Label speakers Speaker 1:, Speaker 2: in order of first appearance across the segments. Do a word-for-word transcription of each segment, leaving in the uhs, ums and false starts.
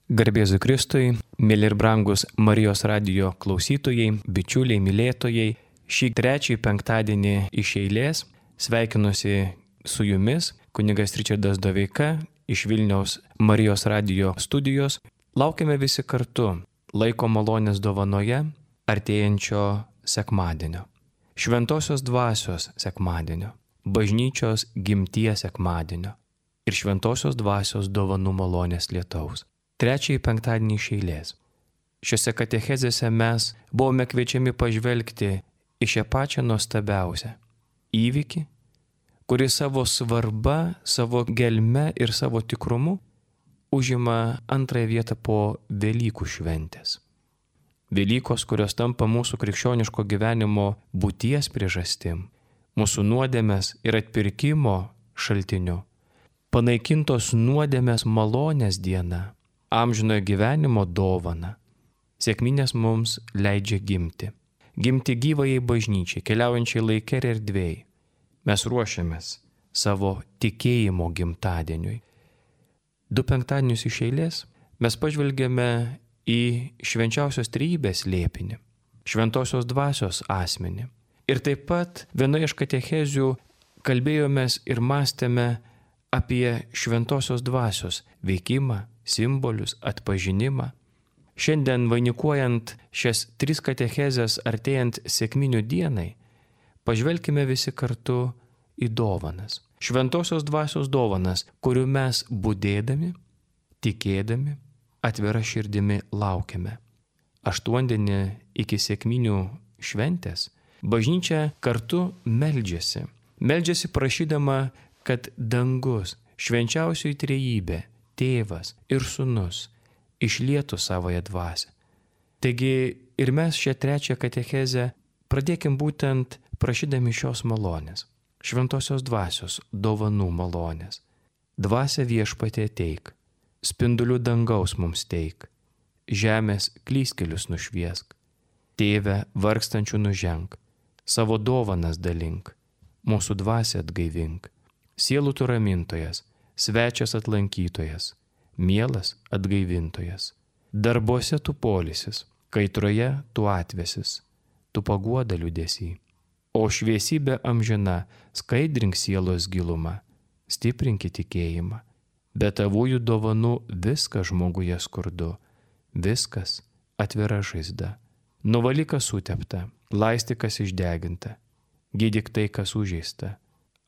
Speaker 1: Garbėzu Kristui, mėly ir brangus Marijos radijo klausytojai, bičiuliai, mylėtojai, šį trečiąjį penktadienį iš eilės sveikinuosi su jumis, kunigas Ričardas Doveika iš Vilniaus Marijos radijo studijos. Laukiame visi kartu laiko malonės dovanoje artėjančio sekmadienio, šventosios dvasios sekmadienio, bažnyčios gimties sekmadienio ir šventosios dvasios dovanų malonės lietaus. Trečiąjį penktadienį iš eilės. Šiuose katechezėse mes buvome kviečiami pažvelgti į šią pačią nuostabiausią įvykį, kuris savo svarba, savo gelme ir savo tikrumu užima antrąją vietą po Velykų šventės. Velykos, kurios tampa mūsų krikščioniško gyvenimo būties priežastim, mūsų nuodėmės ir atpirkimo šaltiniu, panaikintos nuodėmės malonės diena, amžinojo gyvenimo dovana. Sekminės mums leidžia gimti. Gimti gyvajai bažnyčiai, keliaujančiai laike ir erdvėj. Mes ruošiamės savo tikėjimo gimtadieniui. Du penktadienius iš eilės mes pažvelgėme į švenčiausios trejybės slėpinį, šventosios dvasios asmenį. Ir taip pat vienoje iš katechezių kalbėjomės ir mąstėme apie šventosios dvasios veikimą, simbolius, atpažinimą. Šiandien vainikuojant šias tris katechezes artėjant sekminių dienai, pažvelkime visi kartu į dovanas. Šventosios dvasios dovanas, kurių mes budėdami, tikėdami, atvira širdimi laukiame. Aštuondienį iki sekminių šventės bažnyčia kartu meldžiasi. Meldžiasi prašydama, kad dangus, švenčiausioji trejybė, Tėvas ir Sūnus išlietų savąją dvasią. Taigi ir mes šią trečią katechezę pradėkim būtent prašydami šios malonės, šventosios dvasios dovanų malonės. Dvasia Viešpatie ateik, spindulių dangaus mums teik, žemės klystkelius nušviesk, Tėve vargstančių nuženk, savo dovanas dalink, mūsų dvasią atgaivink, sielų tu ramintojas, svečias atlankytojas, mielas atgaivintojas. Darbuose tu poilsis, kaitroje tu atvesis, tu paguoda liūdesį. O šviesybė amžina skaidrink sielos gilumą, stiprinki tikėjimą. Be tavųjų dovanų viskas žmoguje skurdu, viskas atvira žaizda. Nuvalyk kas sutepta, laistyk kas išdeginta, gydyk tai kas sužeista.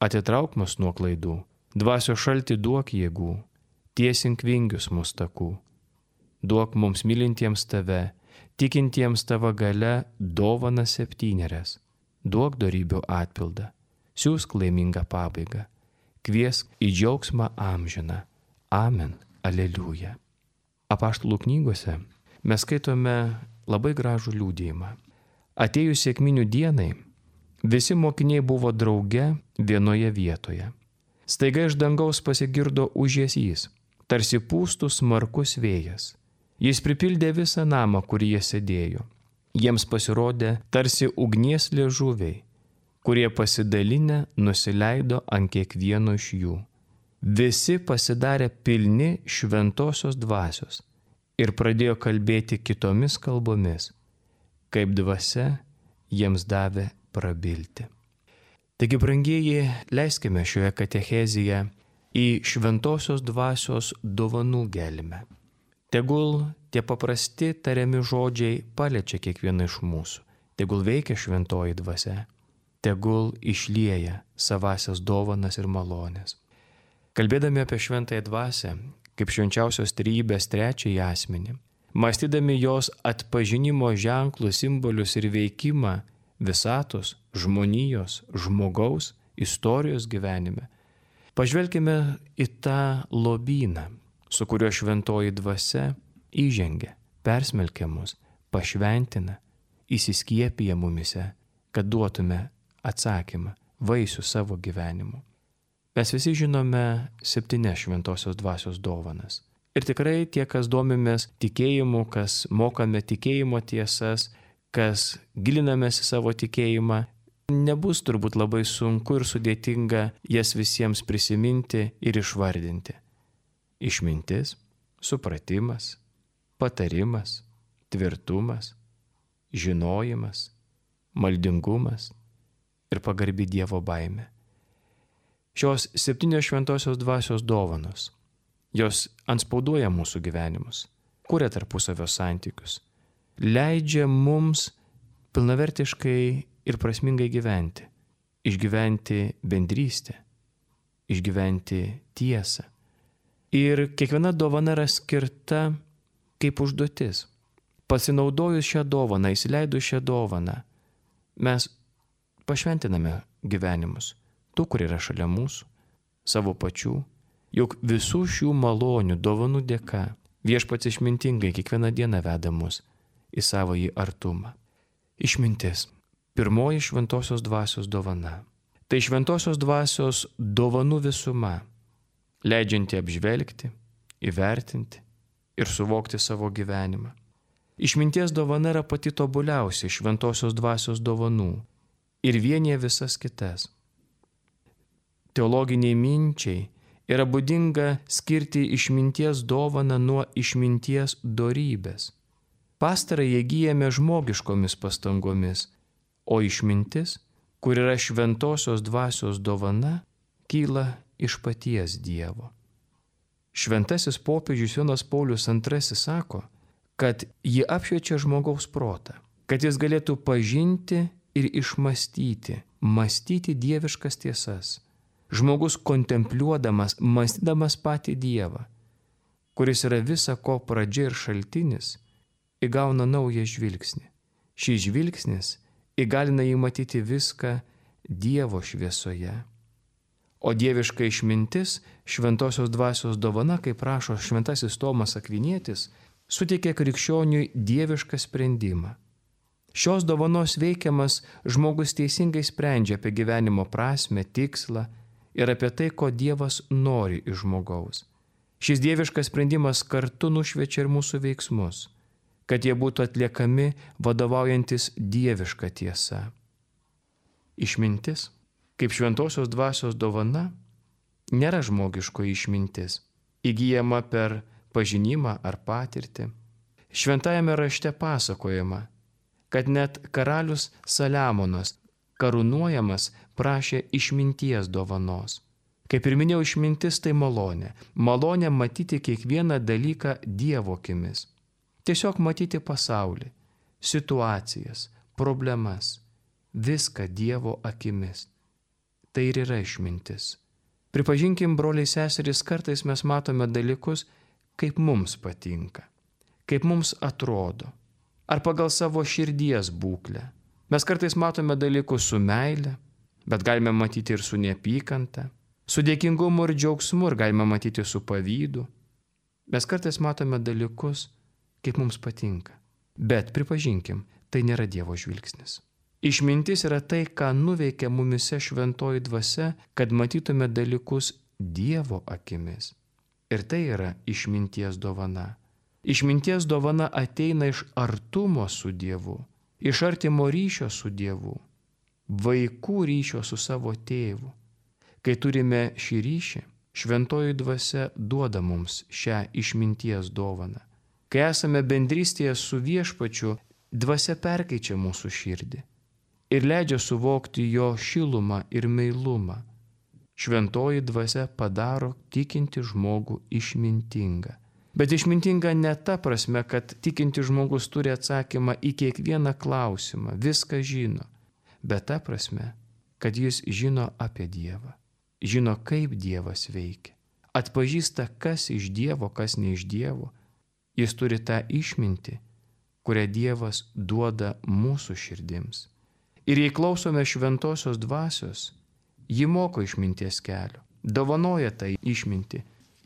Speaker 1: Atitrauk mus nuo klaidų, dvasio šaltį duok jėgų, tiesink vingius mūsų takų. Duok mums mylintiems tave, tikintiems tavo gale dovanas septynerias. Duok dorybių atpildą, siūsk laimingą pabaigą, kviesk į džiaugsmą amžiną. Amen. Aleliuja. Apaštalų knygose mes skaitome labai gražų liudijimą. Atėjus sekminių dienai, visi mokiniai buvo drauge vienoje vietoje. Staiga iš dangaus pasigirdo ūžesys, tarsi pūstų smarkus vėjas. Jis pripildė visą namą, kur jie sėdėjo. Jiems pasirodė tarsi ugnies liežuviai, kurie pasidalinę nusileido ant kiekvieno iš jų. Visi pasidarė pilni šventosios dvasios ir pradėjo kalbėti kitomis kalbomis, kaip dvasia jiems davė prabilti. Taigi, brangieji, leiskime šioje katechezėje į šventosios dvasios dovanų gelmę. Tegul tie paprasti tariami žodžiai paliečia kiekvieną iš mūsų. Tegul veikia šventoji dvasia. Tegul išlieja savasias dovanas ir malonės. Kalbėdami apie šventąją dvasią, kaip švenčiausios trejybės trečiąjį asmenį, mąstydami jos atpažinimo ženklus, simbolius ir veikimą visatos, žmonijos, žmogaus, istorijos gyvenime, pažvelkime į tą lobyną, su kuriuo šventoji dvasia įžengia, persmelkia mus, pašventina, įsiskiepija mumise, kad duotume atsakymą, vaisių savo gyvenimu. Mes visi žinome septynias šventosios dvasios dovanas. Ir tikrai tie, kas domimės tikėjimu, kas mokame tikėjimo tiesas, kas gilinamės į savo tikėjimą, nebus turbūt labai sunku ir sudėtinga jas visiems prisiminti ir išvardinti. Išmintis, supratimas, patarimas, tvirtumas, žinojimas, maldingumas ir pagarbi Dievo baimė. Šios septynios šventosios dvasios dovanos, jos antspauduoja mūsų gyvenimus, kuria tarpusavio santykius, leidžia mums pilnavertiškai ir prasmingai gyventi, išgyventi bendrystę, išgyventi tiesą. Ir kiekviena dovana yra skirta kaip užduotis. Pasinaudojus šią dovaną, įsileidus šią dovaną, mes pašventiname gyvenimus, tų, kur yra šalia mūsų, savo pačių. Juk visų šių malonių dovanų dėka viešpats išmintingai kiekvieną dieną veda mus į savąjį artumą. Išmintis. Pirmoji šventosios dvasios dovana. Tai šventosios dvasios dovanų visuma, leidžianti apžvelgti, įvertinti ir suvokti savo gyvenimą. Išminties dovana yra pati tobuliausia šventosios dvasios dovanų ir vienyje visas kitas. Teologiniai minčiai yra būdinga skirti išminties dovaną nuo išminties dorybės. Pastarąją įgyjame žmogiškomis pastangomis, o išmintis, kur yra šventosios dvasios dovana, kyla iš paties Dievo. Šventasis popiežius Jonas Paulius antrasis sako, kad ji apšviečia žmogaus protą, kad jis galėtų pažinti ir išmastyti, mąstyti dieviškas tiesas. Žmogus kontempliuodamas, mąstydamas patį Dievą, kuris yra visa ko pradžia ir šaltinis, įgauna naują žvilgsnį. Šis žvilgsnis įgalina jį matyti viską Dievo šviesoje. O dieviška išmintis, šventosios dvasios dovana, kaip rašo šventasis Tomas Akvinietis, suteikia krikščioniui dievišką sprendimą. Šios dovanos veikiamas žmogus teisingai sprendžia apie gyvenimo prasmę, tikslą ir apie tai, ko Dievas nori iš žmogaus. Šis dieviškas sprendimas kartu nušviečia ir mūsų veiksmus, kad jie būtų atliekami vadovaujantis dieviška tiesa. Išmintis, kaip šventosios dvasios dovana, nėra žmogiško išmintis, įgyjama per pažinimą ar patirtį. Šventajame rašte pasakojama, kad net karalius Saliamonas, karūnuojamas, prašė išminties dovanos. Kaip ir minėjau, išmintis tai malonė. Malonė matyti kiekvieną dalyką Dievo akimis. Tiesiog matyti pasaulį, situacijas, problemas, viską Dievo akimis. Tai ir yra išmintis. Pripažinkim, broliai seserys, kartais mes matome dalykus, kaip mums patinka, kaip mums atrodo, ar pagal savo širdies būklę. Mes kartais matome dalykus su meile, bet galime matyti ir su neapykanta, su dėkingumu ir džiaugsmu, ir galime matyti su pavydu. Mes kartais matome dalykus, kaip mums patinka, bet pripažinkim, tai nėra Dievo žvilgsnis. Išmintis yra tai, ką nuveikia mumise šventoji dvasia, kad matytume dalykus Dievo akimis. Ir tai yra išminties dovana. Išminties dovana ateina iš artumo su Dievu, iš artimo ryšio su Dievu, vaikų ryšio su savo tėvu. Kai turime šį ryšį, šventoji dvasia duoda mums šią išminties dovaną. Kai esame bendrystėje su viešpačiu, dvasia perkeičia mūsų širdį ir leidžia suvokti jo šilumą ir meilumą. Šventoji dvasia padaro tikinti žmogų išmintingą. Bet išmintinga ne ta prasme, kad tikinti žmogus turi atsakymą į kiekvieną klausimą, viską žino, bet ta prasme, kad jis žino apie Dievą, žino, kaip Dievas veikia, atpažįsta, kas iš Dievo, kas ne iš Dievo. Jis turi tą išmintį, kurią Dievas duoda mūsų širdims. Ir jei klausome šventosios dvasios, ji moko išminties kelio, dovanoja tą išmintį,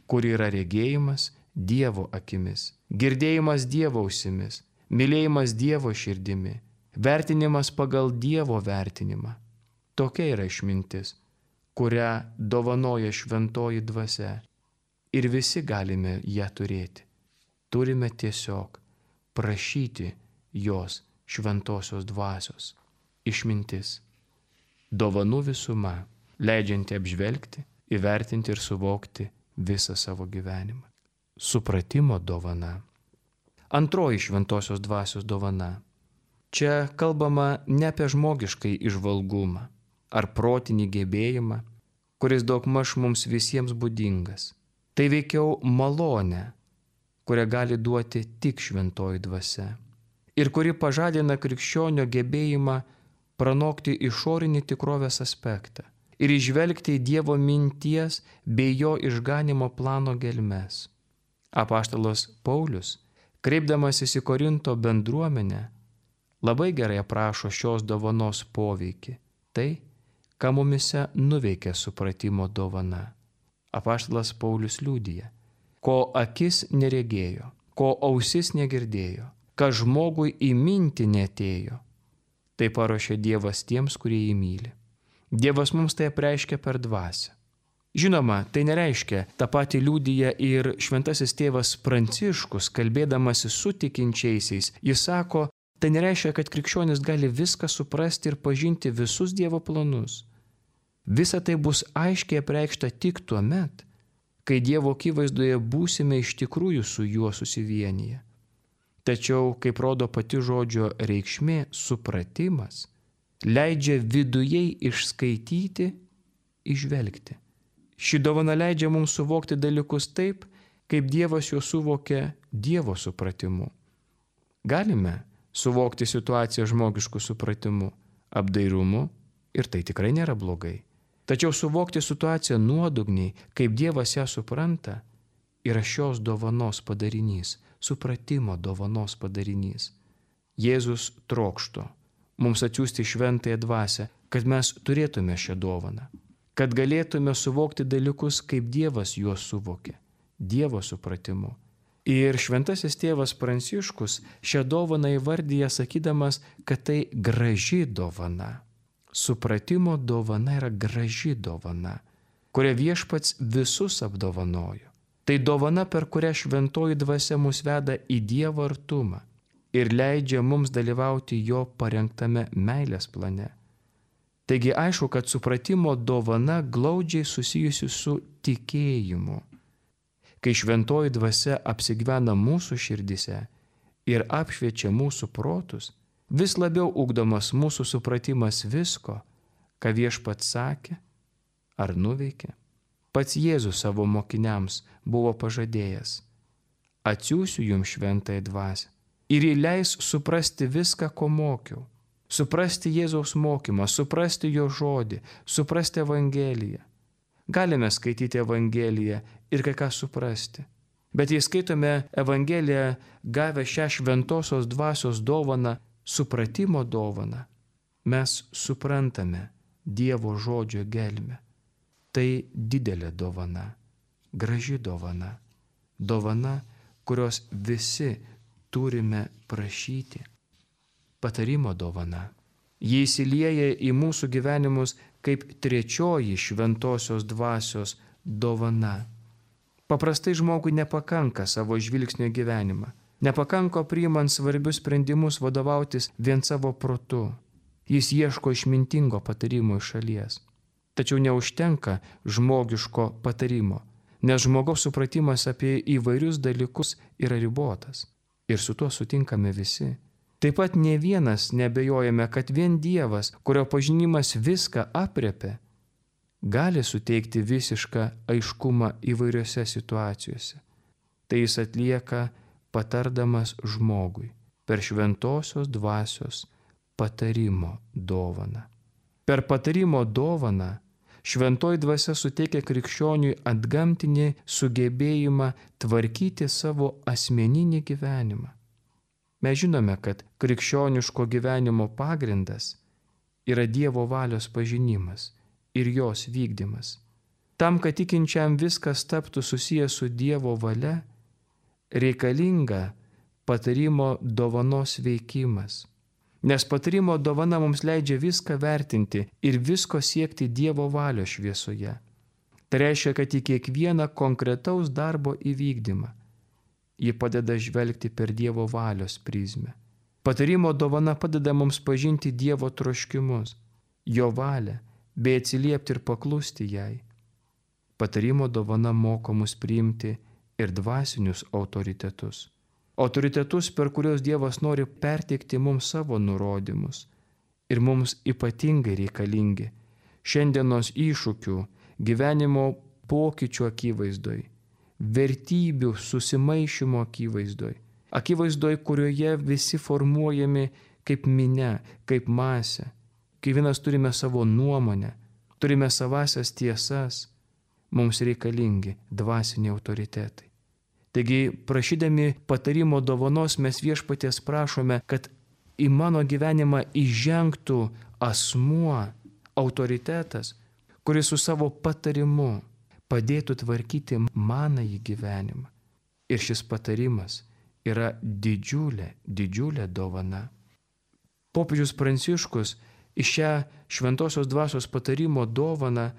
Speaker 1: kuri yra regėjimas Dievo akimis, girdėjimas Dievo ausimis, mylėjimas Dievo širdimi, vertinimas pagal Dievo vertinimą. Tokia yra išmintis, kurią dovanoja šventoji dvasia, ir visi galime ją turėti. Turime tiesiog prašyti jos šventosios dvasios. Išmintis. Dovanų visuma, leidžianti apžvelgti, įvertinti ir suvokti visą savo gyvenimą. Supratimo dovana. Antroji šventosios dvasios dovana. Čia kalbama ne apie žmogiškai įžvalgumą ar protinį gebėjimą, kuris daugmaž mums visiems būdingas. Tai veikiau malonė, kurią gali duoti tik šventoji dvasia ir kuri pažadina krikščionio gebėjimą pranokti išorinį tikrovės aspektą ir įžvelgti į Dievo minties bei jo išganimo plano gelmes. Apaštalas Paulius, kreipdamasis į Korinto bendruomenę, labai gerai aprašo šios dovanos poveikį, tai, ką mumise nuveikia supratimo dovana. Apaštalas Paulius liudija, ko akis neregėjo, ko ausis negirdėjo, ką žmogui į mintį neatėjo. Tai paruošė Dievas tiems, kurie jį myli. Dievas mums tai apreiškia per dvasią. Žinoma, tai nereiškia, tą patį liudija ir šventasis tėvas Pranciškus, kalbėdamasis su tikinčiaisiais. Jis sako, tai nereiškia, kad krikščionis gali viską suprasti ir pažinti visus Dievo planus. Visa tai bus aiškiai apreikšta tik tuo met, kai Dievo akivaizdoje būsime iš tikrųjų su juo susivienyje. Tačiau, kaip rodo pati žodžio reikšmė, supratimas leidžia vidujei išskaityti, įžvelgti. Ši dovana leidžia mums suvokti dalykus taip, kaip Dievas juos suvokia Dievo supratimu. Galime suvokti situaciją žmogišku supratimu, apdairumu, ir tai tikrai nėra blogai. Tačiau suvokti situaciją nuodugniai, kaip Dievas ją supranta, yra šios dovanos padarinys, supratimo dovanos padarinys. Jėzus trokšto mums atsiųsti šventąją dvasią, kad mes turėtume šią dovaną, kad galėtume suvokti dalykus, kaip Dievas juos suvokė, Dievo supratimu. Ir šventasis tėvas Pranciškus šią dovaną įvardyja sakydamas, kad tai graži dovana. Supratimo dovana yra graži dovana, kurią Viešpats visus apdovanojo. Tai dovana, per kurią šventoji dvasia mus veda į Dievo artumą ir leidžia mums dalyvauti jo parengtame meilės plane. Taigi aišku, kad supratimo dovana glaudžiai susijusi su tikėjimu. Kai šventoji dvasia apsigyvena mūsų širdise ir apšviečia mūsų protus, vis labiau ugdomas mūsų supratimas visko, ką Viešpats sakė ar nuveikė. Pats Jėzus savo mokiniams buvo pažadėjęs: atsiųsiu jums šventąją dvasią ir ji leis suprasti viską, ko mokiau. Suprasti Jėzaus mokymą, suprasti jo žodį, suprasti Evangeliją. Galime skaityti Evangeliją ir kai ką suprasti. Bet jei skaitome Evangeliją gavę šią šventosios dvasios dovaną, supratimo dovaną, mes suprantame Dievo žodžio gelmę. Tai didelė dovana, graži dovana, dovana, kurios visi turime prašyti. Patarimo dovana. Jie įsilieja į mūsų gyvenimus kaip trečioji šventosios dvasios dovana. Paprastai žmogui nepakanka savo žvilgsnio gyvenimą. Nepakanka priimant svarbius sprendimus vadovautis vien savo protu. Jis ieško išmintingo patarimo iš šalies. Tačiau neužtenka žmogiško patarimo, nes žmogaus supratimas apie įvairius dalykus yra ribotas. Ir su tuo sutinkame visi. Taip pat ne vienas nebejojame, kad vien Dievas, kurio pažinimas viską aprėpia, gali suteikti visišką aiškumą įvairiose situacijose. Tai jis atlieka patardamas žmogui per šventosios dvasios patarimo dovaną. Per patarimo dovaną šventoji dvasia suteikia krikščioniui antgamtinį sugebėjimą tvarkyti savo asmeninį gyvenimą. Mes žinome, kad krikščioniško gyvenimo pagrindas yra Dievo valios pažinimas ir jos vykdymas. Tam, kad tikinčiam viskas taptų susijęs su Dievo valia, reikalinga patarimo dovanos veikimas. Nes patarimo dovana mums leidžia viską vertinti ir visko siekti Dievo valios šviesoje. Tai reiškia, kad į kiekvieną konkretaus darbo įvykdymą ji padeda žvelgti per Dievo valios prizmę. Patarimo dovana padeda mums pažinti Dievo troškimus, jo valią, bei atsiliepti ir paklusti jai. Patarimo dovana moko mus priimti ir dvasinius autoritetus. autoritetus, per kuriuos Dievas nori perteikti mums savo nurodymus ir mums ypatingai reikalingi šiandienos iššūkių, gyvenimo pokyčių akivaizdoj, vertybių susimaišymo akivaizdoj, akivaizdoj, kurioje visi formuojami kaip minia, kaip masė. Kiekvienas turime savo nuomonę, turime savasias tiesas, mums reikalingi dvasiniai autoritetai. Taigi, prašydami patarimo dovanos, mes Viešpaties prašome, kad į mano gyvenimą įžengtų asmuo, autoritetas, kuris su savo patarimu padėtų tvarkyti manąjį gyvenimą. Ir šis patarimas yra didžiulė, didžiulė dovana. Popiežius Pranciškus į šią šventosios dvasios patarimo dovaną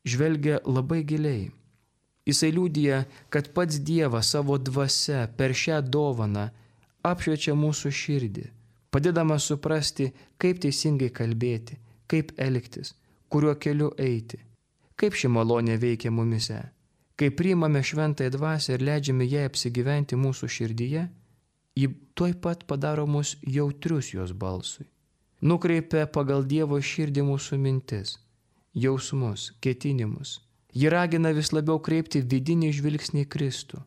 Speaker 1: žvelgia labai giliai. Jisai liudija, kad pats Dievas savo dvasia per šią dovaną apšviečia mūsų širdį, padėdamas suprasti, kaip teisingai kalbėti, kaip elgtis, kuriuo keliu eiti, kaip ši malonė veikia mumise. Kai priimame šventąją dvasią ir leidžiame jai apsigyventi mūsų širdyje, ji tuoj pat padaro mus jautrius jos balsui. Nukreipia pagal Dievo širdį mūsų mintis, jausmus, ketinimus. Ji ragina vis labiau kreipti vidinį žvilgsnį į Kristų,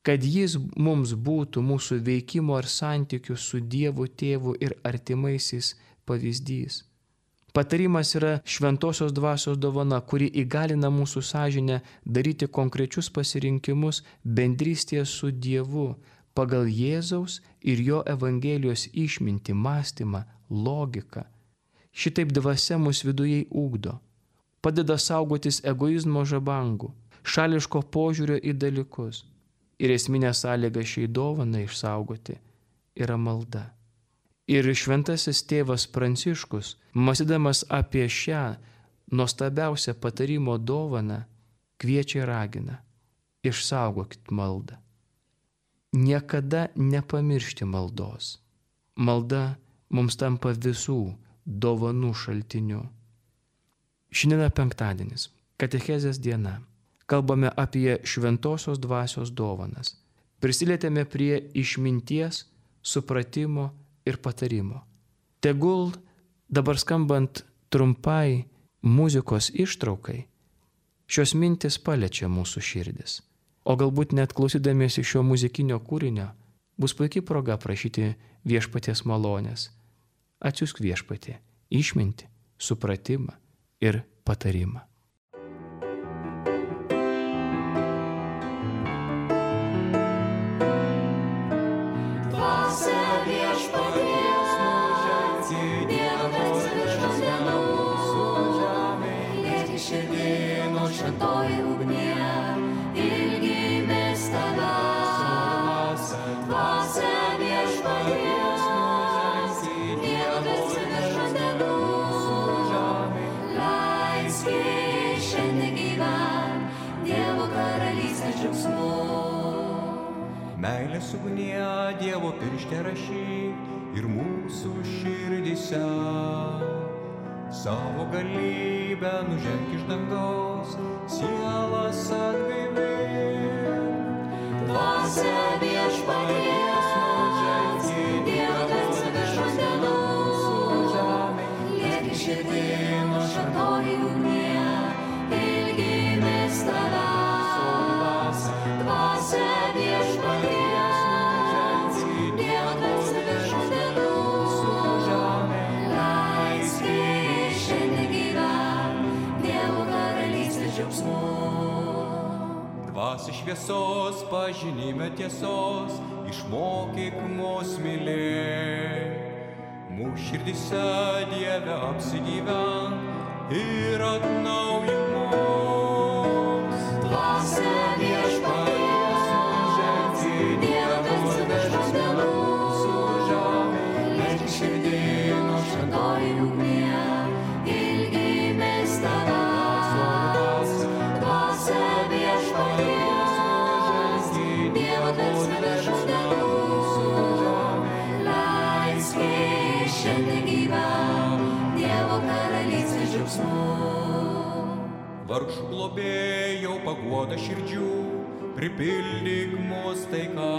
Speaker 1: kad jis mums būtų mūsų veikimo ir santykių su Dievu Tėvu ir artimaisiais pavyzdys. Patarimas yra šventosios dvasios dovana, kuri įgalina mūsų sąžinę daryti konkrečius pasirinkimus bendrystėje su Dievu pagal Jėzaus ir jo Evangelijos išmintį, mąstymą, logiką. Šitaip dvasia mus viduje ugdo, padeda saugotis egoizmo žabangų, šališko požiūrio į dalykus. Ir esminė sąlyga šiai dovanai išsaugoti yra malda. Ir šventasis tėvas Pranciškus, mąstydamas apie šią nuostabiausią patarimo dovaną, kviečia ir ragina: išsaugokit maldą. Niekada nepamiršti maldos. Malda mums tampa visų dovanų šaltiniu. Šiandien penktadienis, katechezės diena. Kalbame apie šventosios dvasios dovanas. Prisilietėme prie išminties, supratimo ir patarimo. Tegul dabar skambant trumpai muzikos ištraukai, šios mintis paliečia mūsų širdis. O galbūt net klausydamiesi šio muzikinio kūrinio, bus puikiai proga prašyti Viešpaties malonės. Atsiųsk Viešpatie išmintį, supratimą ir patarimą.
Speaker 2: Šventoji ugnie, ilgimės tavęs, dvasia viešpaties, Dievas virš vandenų, leisk šiandien gyvent Dievo karalystės džiaugsmu.
Speaker 3: Meilės ugnie Dievo piršte rašyk ir mūsų širdyse. Savo galybę nuženk iš dangaus, sielas atgaivink.
Speaker 2: Dvasia viešpaties, Dievas virš vandenų, liek širdin šventoji ugnie, ilgimės tavęs. Dvasia viešpaties, Dievas virš vandenų,
Speaker 3: Dvasia šviesos, pažinime tiesos, išmokyk mus mylėt. Mūsų širdyse Dieve apsigyvenk ir atnaujink mus.
Speaker 2: Dvasia viešpaties, Dievas virš vandenų, liek širdin šventoji ugnie, ilgimės tavęs.
Speaker 3: Vargšų globėjau paguoda širdžių, pripildyk mus taika.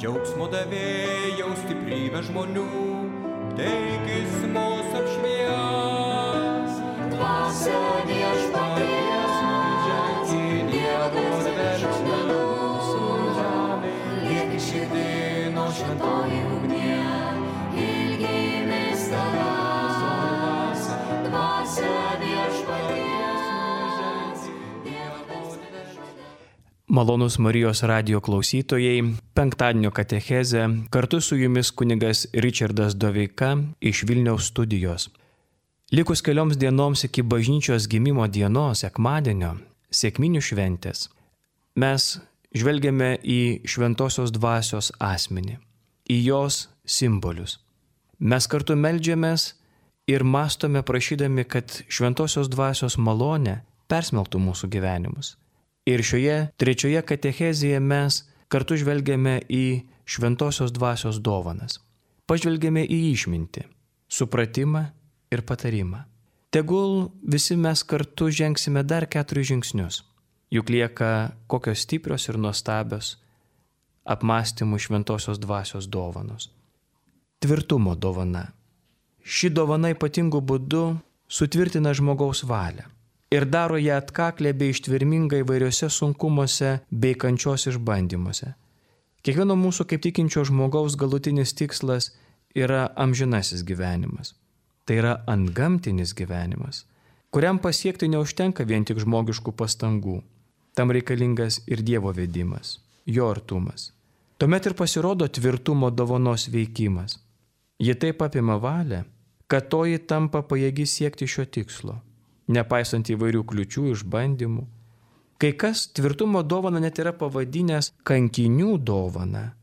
Speaker 3: džiaugsmo davėjau stiprybę žmonių, teikis mus apšvies.
Speaker 2: Dvasia viešpaties, į Dievo verksmę mūsų žemė, lieki širdį nuo šventoji ugnie, ilgimės tavęs. Dvasia viešpaties, Dievo verksmę.
Speaker 1: Malonūs Marijos radijo klausytojai, penktadienio katechezė, kartu su jumis kunigas Ričardas Doveika iš Vilniaus studijos. Likus kelioms dienoms iki bažnyčios gimimo dienos, sekmadienio, sekminių šventės, mes žvelgiame į šventosios dvasios asmenį, į jos simbolius. Mes kartu meldžiamės ir mąstome prašydami, kad šventosios dvasios malonė persmelktų mūsų gyvenimus. Ir šioje trečioje katechezėje mes kartu žvelgiame į šventosios dvasios dovanas. Pažvelgiame į išmintį, supratimą ir patarimą. Tegul visi mes kartu žengsime dar keturis žingsnius. Juk lieka kokios stiprios ir nuostabios apmąstymų šventosios dvasios dovanos. Tvirtumo dovana. Ši dovana ypatingų būdų sutvirtina žmogaus valią ir daro ją atkaklę bei ištvermingą įvairiose sunkumuose bei kančios išbandymuose. Kiekvieno mūsų kaip tikinčio žmogaus galutinis tikslas yra amžinasis gyvenimas. Tai yra antgamtinis gyvenimas, kuriam pasiekti neužtenka vien tik žmogiškų pastangų. Tam reikalingas ir Dievo vedimas, jo artumas. Tuomet ir pasirodo tvirtumo dovanos veikimas. Ji taip apima valią, kad toji tampa pajėgi siekti šio tikslo, nepaisant įvairių kliučių, išbandymų. Kai kas tvirtumo dovaną net yra pavadinęs kankinių dovana.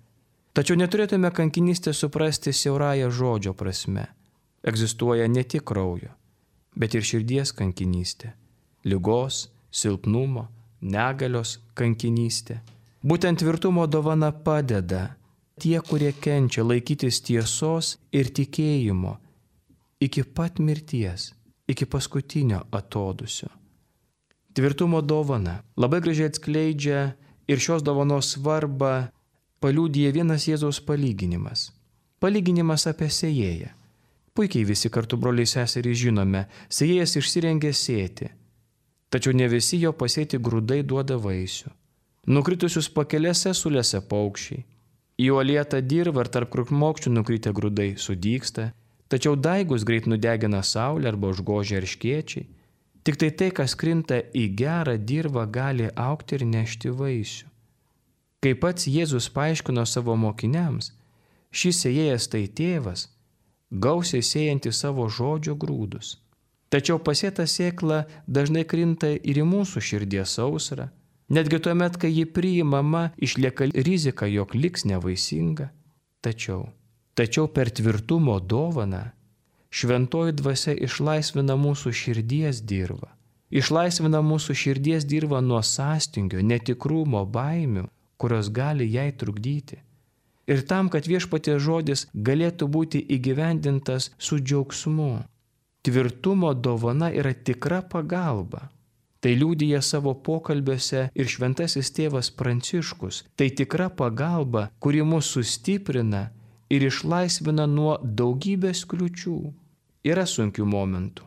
Speaker 1: Tačiau neturėtume kankinystę suprasti siaurąją žodžio prasme. Egzistuoja ne tik kraujo, bet ir širdies kankinystė, ligos, silpnumo, negalios kankinystė. Būtent tvirtumo dovana padeda tie, kurie kenčia, laikytis tiesos ir tikėjimo iki pat mirties, iki paskutinio atodūsio. Tvirtumo dovana labai gražiai atskleidžia ir šios dovanos svarbą paliudija vienas Jėzaus palyginimas. Palyginimas apie sėjėją. Puikiai visi kartu broliai seserys žinome, sėjėjas išsirengė sėti, tačiau ne visi jo pasėti grūdai duoda vaisių. Nukritusius pakelėse sulėse paukščiai. Į uolietą dirvą ar tarp krūmokščių nukritę grūdai sudygsta, tačiau daigus greit nudegina saulė arba užgožia erškėčiai. Tik tai tai, kas krinta į gerą dirvą, gali augti ir nešti vaisių. Kaip pats Jėzus paaiškino savo mokiniams, šis sėjėjas tai tėvas, gausiai sėjantis savo žodžio grūdus. Tačiau pasėta sėkla dažnai krinta ir į mūsų širdies sausrą. Netgi tuomet, kai ji priimama, išlieka rizika, jog liks nevaisinga. Tačiau, tačiau per tvirtumo dovaną šventoji dvasia išlaisvina mūsų širdies dirvą. Išlaisvina mūsų širdies dirvą nuo sąstingio, netikrumo, baimių, kurios gali jai trukdyti. Ir tam, kad viešpaties žodis galėtų būti įgyvendintas su džiaugsmu. Tvirtumo dovana yra tikra pagalba. Tai liudija savo pokalbiuose ir šventasis tėvas Pranciškus. Tai tikra pagalba, kuri mus sustiprina ir išlaisvina nuo daugybės kliučių. Yra sunkių momentų,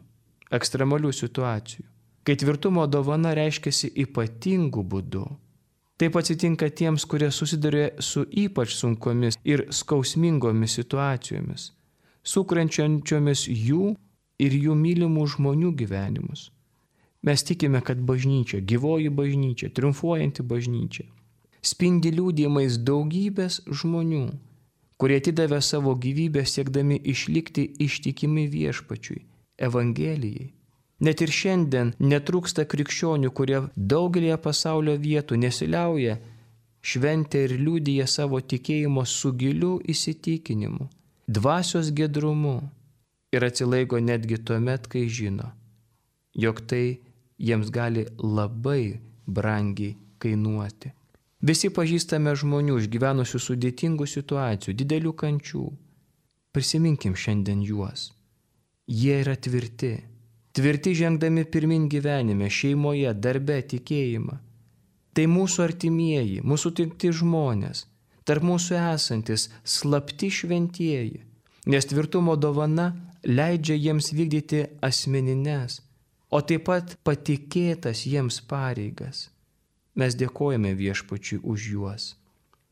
Speaker 1: ekstremalių situacijų, kai tvirtumo dovana reiškiasi ypatingų būdų. Taip atsitinka tiems, kurie susiduria su ypač sunkomis ir skausmingomis situacijomis, sukrenčiančiomis jų ir jų mylimų žmonių gyvenimus. Mes tikime, kad bažnyčia, gyvoji bažnyčia, triumfuojanti bažnyčia, spindi liudijimais daugybės žmonių, kurie atidavė savo gyvybę siekdami išlikti ištikimi viešpačiui, Evangelijai. Net ir šiandien netrūksta krikščionių, kurie daugelėje pasaulio vietų nesiliauja, šventė ir liudija savo tikėjimo su giliu įsitikinimu, dvasios giedrumu ir atsilaiko netgi tuomet, kai žino, jog tai jiems gali labai brangiai kainuoti. Visi pažįstame žmonių išgyvenusių sudėtingų situacijų, didelių kančių. Prisiminkim šiandien juos. Jie yra tvirti. Tvirti žengdami pirmin gyvenime, šeimoje, darbe, tikėjimą. Tai mūsų artimieji, mūsų tikti žmonės. tarp mūsų esantis slapti šventieji, nes tvirtumo dovana leidžia jiems vykdyti asmenines, o taip pat patikėtas jiems pareigas. Mes dėkojame Viešpačiui už juos,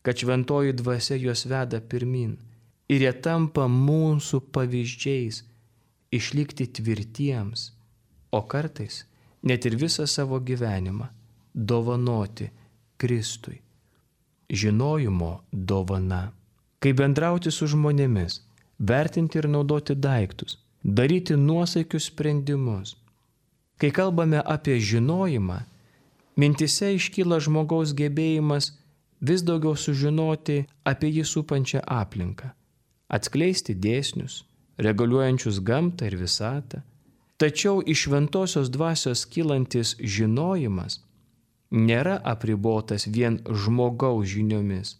Speaker 1: kad šventoji dvasia juos veda pirmin ir jie tampa mūsų pavyzdžiais išlikti tvirtiems, o kartais net ir visą savo gyvenimą dovanoti Kristui. Žinojimo dovana. Kaip bendrauti su žmonėmis, vertinti ir naudoti daiktus, daryti nuosaikius sprendimus. Kai kalbame apie žinojimą, mintise iškyla žmogaus gebėjimas vis daugiau sužinoti apie jį supančią aplinką, atskleisti dėsnius, reguliuojančius gamtą ir visatą. Tačiau iš šventosios dvasios kylantis žinojimas nėra apribotas vien žmogaus žiniomis.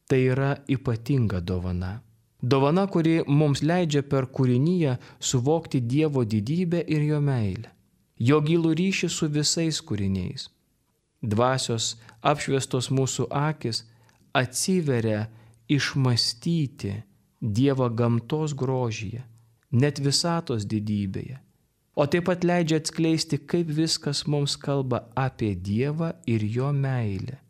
Speaker 1: Tai yra ypatinga dovana. Dovana, kuri mums leidžia per kūriniją suvokti Dievo didybę ir jo meilę, jo gilų ryšį su visais kūriniais. Dvasios apšviestos mūsų akis atsiveria išmastyti Dievą gamtos grožyje, net visatos didybėje, o taip pat leidžia atskleisti, kaip viskas mums kalba apie Dievą ir jo meilę.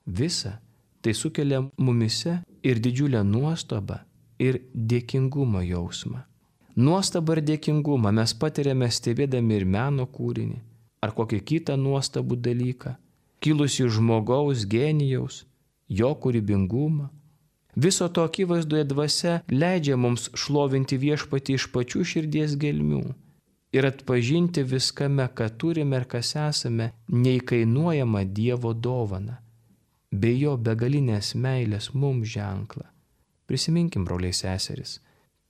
Speaker 1: Visa tai sukelia mumise ir didžiulę nuostabą ir dėkingumo jausmą. Nuostabą ir dėkingumą mes patiriame stebėdami ir meno kūrinį, ar kokį kitą nuostabų dalyką, kilusį žmogaus genijaus, jo kūrybingumą. Viso to akivaizdoje dvasia leidžia mums šlovinti Viešpatį iš pačių širdies gelmių ir atpažinti viskame, ką turime ir kas esame, neįkainuojamą Dievo dovaną, bei jo begalinės meilės mums ženklą. Prisiminkim, broliai seserys,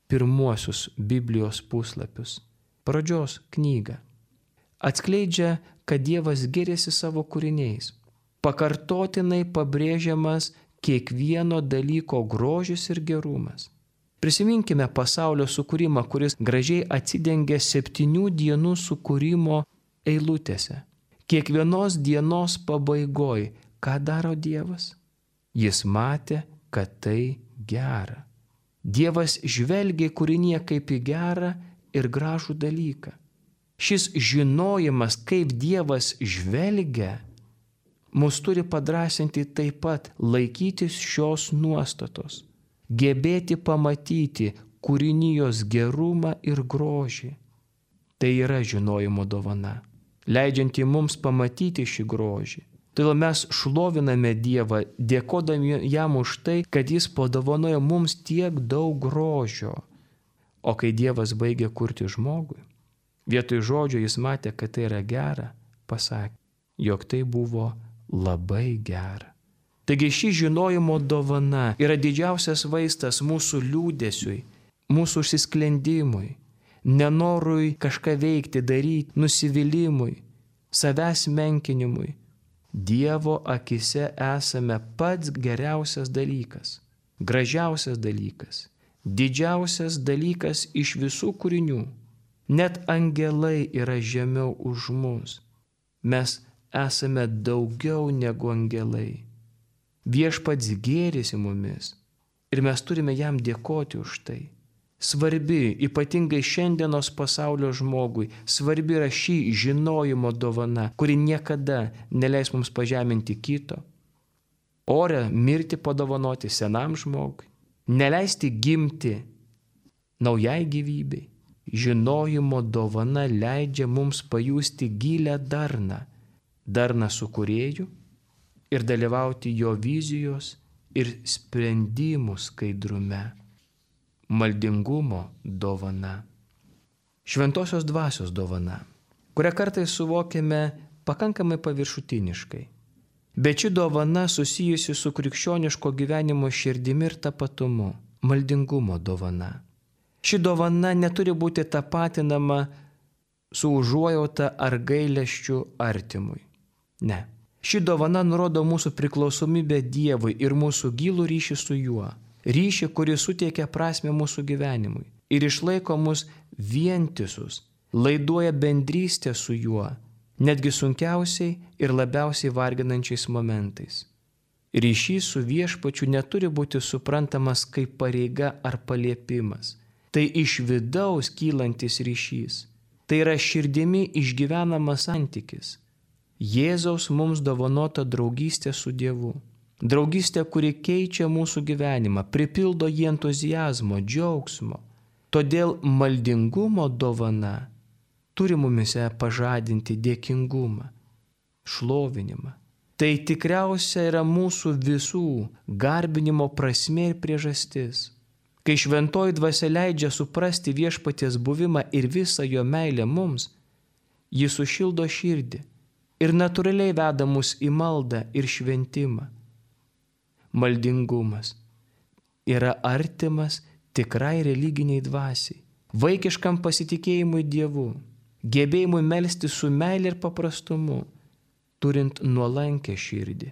Speaker 1: pirmuosius Biblijos puslapius, pradžios knygą. Atskleidžia, kad Dievas giriasi savo kūriniais. Pakartotinai pabrėžiamas kiekvieno dalyko grožis ir gerumas. Prisiminkime pasaulio sukūrimą, kuris gražiai atsidengia septynių dienų sukūrimo eilutėse. Kiekvienos dienos pabaigoj, ką daro Dievas? Jis matė, kad tai gera. Dievas žvelgia į kūrinį kaip į gerą ir gražų dalyką. Šis žinojimas, kaip Dievas žvelgia, mus turi padrasinti taip pat laikytis šios nuostatos, gebėti pamatyti kūrinijos gerumą ir grožį. Tai yra žinojimo dovana, leidžianti mums pamatyti šį grožį. Todėl mes šloviname Dievą, dėkodami jam už tai, kad jis padovanojo mums tiek daug grožio. O kai Dievas baigė kurti žmogui, vietoj žodžio jis matė, kad tai yra gera, pasakė, jog tai buvo labai gera. Taigi ši žinojimo dovana yra didžiausias vaistas mūsų liūdesiui, mūsų užsisklendimui, nenorui kažką veikti, daryti, nusivylimui, savęs menkinimui. Dievo akise esame pats geriausias dalykas, gražiausias dalykas, didžiausias dalykas iš visų kūrinių. Net angelai yra žemiau už mus. Mes esame daugiau negu angelai. Viešpats gėrisi mumis ir mes turime jam dėkoti už tai. Svarbi, ypatingai šiandienos pasaulio žmogui, svarbi yra šį žinojimo dovana, kuri niekada neleis mums pažeminti kito. Ore mirti padovanoti senam žmogui, neleisti gimti naujai gyvybei. Žinojimo dovana leidžia mums pajusti gilę darną, darną su Kūrėju ir dalyvauti jo vizijos ir sprendimų skaidrume. Maldingumo dovana. Šventosios dvasios dovana, kurią kartais suvokiame pakankamai paviršutiniškai. Bet ši dovana susijusi su krikščioniško gyvenimo širdimi ir tapatumu. Maldingumo dovana. Ši dovana neturi būti tapatinama su užuojauta ar gailesčiu artimui. Ne. Ši dovana nurodo mūsų priklausomybę Dievui ir mūsų gilų ryšį su juo. Ryšį, kuris suteikia prasmę mūsų gyvenimui ir išlaiko mus vientisus, laiduoja bendrystę su juo, netgi sunkiausiai ir labiausiai varginančiais momentais. Ryšys su viešpačiu neturi būti suprantamas kaip pareiga ar paliepimas. Tai iš vidaus kylantis ryšys. Tai yra širdimi išgyvenamas santykis. Jėzaus mums dovanota draugystė su Dievu. Draugystė, kuri keičia mūsų gyvenimą, pripildo jį entuziazmo, džiaugsmo. Todėl maldingumo dovana turi mumise pažadinti dėkingumą, šlovinimą. Tai tikriausia yra mūsų visų garbinimo prasmė ir priežastis. Kai šventoji dvasia leidžia suprasti viešpaties buvimą ir visą jo meilę mums, ji sušildo širdį ir natūraliai veda mus į maldą ir šventimą. Maldingumas yra artimas tikrai religiniai dvasiai, vaikiškam pasitikėjimui Dievu, gebėjimui melsti su meilė ir paprastumu, turint nuolankę širdį.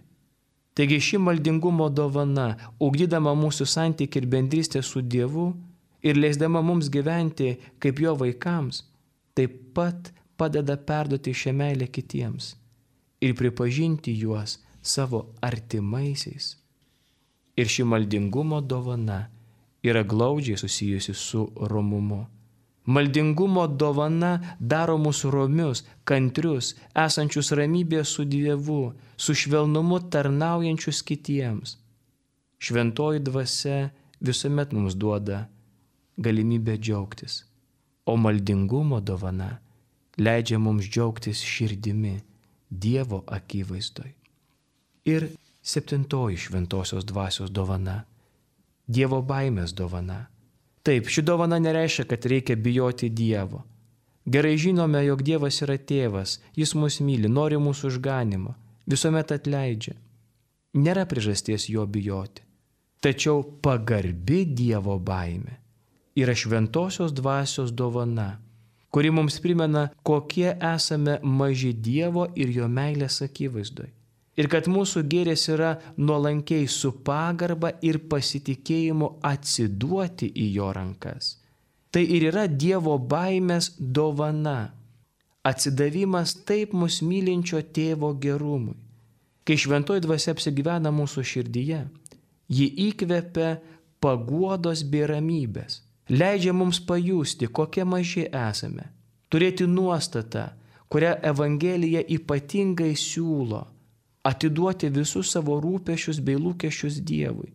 Speaker 1: Taigi ši maldingumo dovana, ugdydama mūsų santykį ir bendrystę su Dievu ir leisdama mums gyventi kaip jo vaikams, taip pat padeda perduoti šią meilę kitiems ir pripažinti juos savo artimaisiais. Ir ši maldingumo dovana yra glaudžiai susijusi su romumu. Maldingumo dovana daro mus romius, kantrius, esančius ramybėje su Dievu, su švelnumu tarnaujančius kitiems. Šventoji dvasia visuomet mums duoda galimybę džiaugtis, o maldingumo dovana leidžia mums džiaugtis širdimi Dievo akivaizdoj. Ir septintoji šventosios dvasios dovana – Dievo baimės dovana. Taip, ši dovana nereiškia, kad reikia bijoti Dievo. Gerai žinome, jog Dievas yra tėvas, jis mus myli, nori mūsų išganimo, visuomet atleidžia. Nėra priežasties jo bijoti. Tačiau pagarbi Dievo baimė yra šventosios dvasios dovana, kuri mums primena, kokie esame maži Dievo ir jo meilės akivaizdoj. Ir kad mūsų gėris yra nuolankiai su pagarba ir pasitikėjimu atsiduoti į jo rankas. Tai ir yra Dievo baimės dovana. Atsidavimas taip mus mylinčio tėvo gerumui. Kai šventoji dvasia apsigyvena mūsų širdyje, ji įkvepia paguodos bei ramybės. Leidžia mums pajusti, kokie maži esame. Turėti nuostatą, kurią Evangelija ypatingai siūlo. Atiduoti visus savo rūpesčius bei lūkesčius Dievui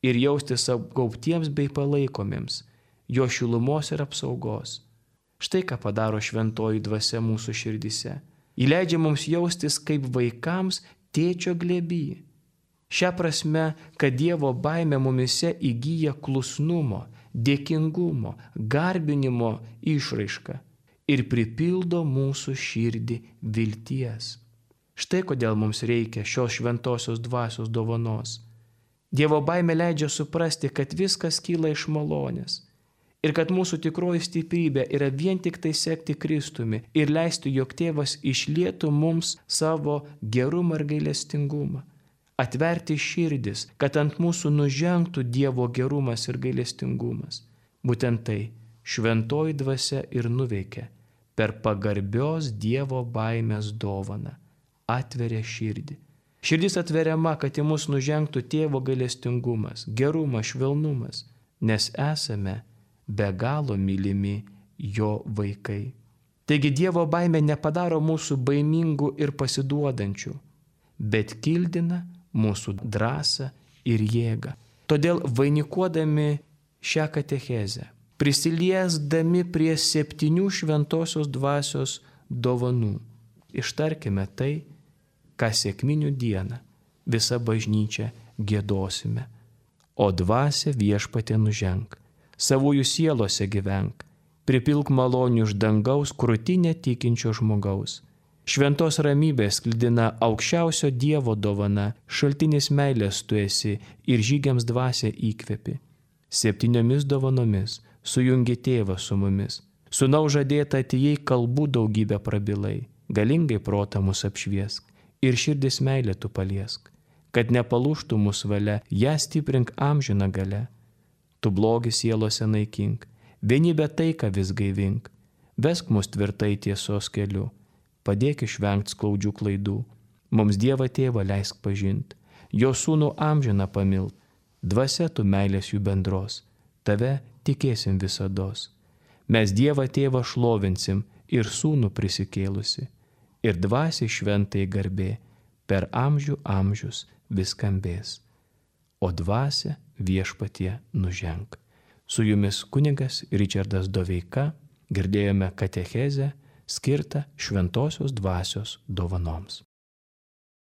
Speaker 1: ir jaustis apgaubtiems bei palaikomiems, jo šilumos ir apsaugos. Štai ką padaro šventoji dvasia mūsų širdise. Ji leidžia mums jaustis kaip vaikams tėčio glėby. Šia prasme, kad Dievo baimė mumise įgyja klusnumo, dėkingumo, garbinimo išraišką ir pripildo mūsų širdį vilties. Štai kodėl mums reikia šios šventosios dvasios dovanos. Dievo baimė leidžia suprasti, kad viskas kyla iš malonės ir kad mūsų tikroji stiprybė yra vien tik tai sekti Kristumi ir leisti, jog tėvas išlietų mums savo gerumą ir gailestingumą. Atverti širdis, kad ant mūsų nužengtų Dievo gerumas ir gailestingumas. Būtent tai šventoji dvasia ir nuveikia per pagarbios Dievo baimės dovaną. Atveria širdį. Širdis atveriama, kad į mus nužengtų tėvo gailestingumas, gerumas, švelnumas, nes esame be galo mylimi jo vaikai. Taigi Dievo baimė nepadaro mūsų baimingų ir pasiduodančių, bet kildina mūsų drąsą ir jėgą. Todėl vainikuodami šią katechezę, prisiliesdami prie septynių šventosios dvasios dovanų, ištarkime tai, ką sekminių dieną visa bažnyčia giedosime. O dvasia viešpatie nuženk, savųjų sielose gyvenk, pripilk malonių iš dangaus krūtinę tikinčio žmogaus. Šventos ramybės sklidina aukščiausio Dievo dovana, šaltinis meilės tu esi ir žygiams dvasia įkvepi. Septyniomis dovanomis sujungi tėvą su mumis. Sūnaus žadėta atėjai kalbų daugybę prabilai, galingai protą mus apšviesk. Ir širdis meilė tu paliesk, kad nepalūžtų mūsų valia, ją stiprink amžiną gale. Tu blogį sielose naikink, vienybę taiką vis gaivink, vesk mus tvirtai tiesos keliu, padėk išvengti skaudžių klaidų, mums Dievą tėvą leisk pažint, jo sūnų amžiną pamilt, dvasia tu meilės jų bendros, tave tikėsim visados. Mes Dievą tėvą šlovinsim ir sūnų prisikėlusi, ir dvasiai šventai garbė per amžių amžius vis skambės. O dvasia viešpatie nuženk. Su jumis kunigas Ričardas Doveika, girdėjome katechezę skirtą šventosios dvasios dovanoms.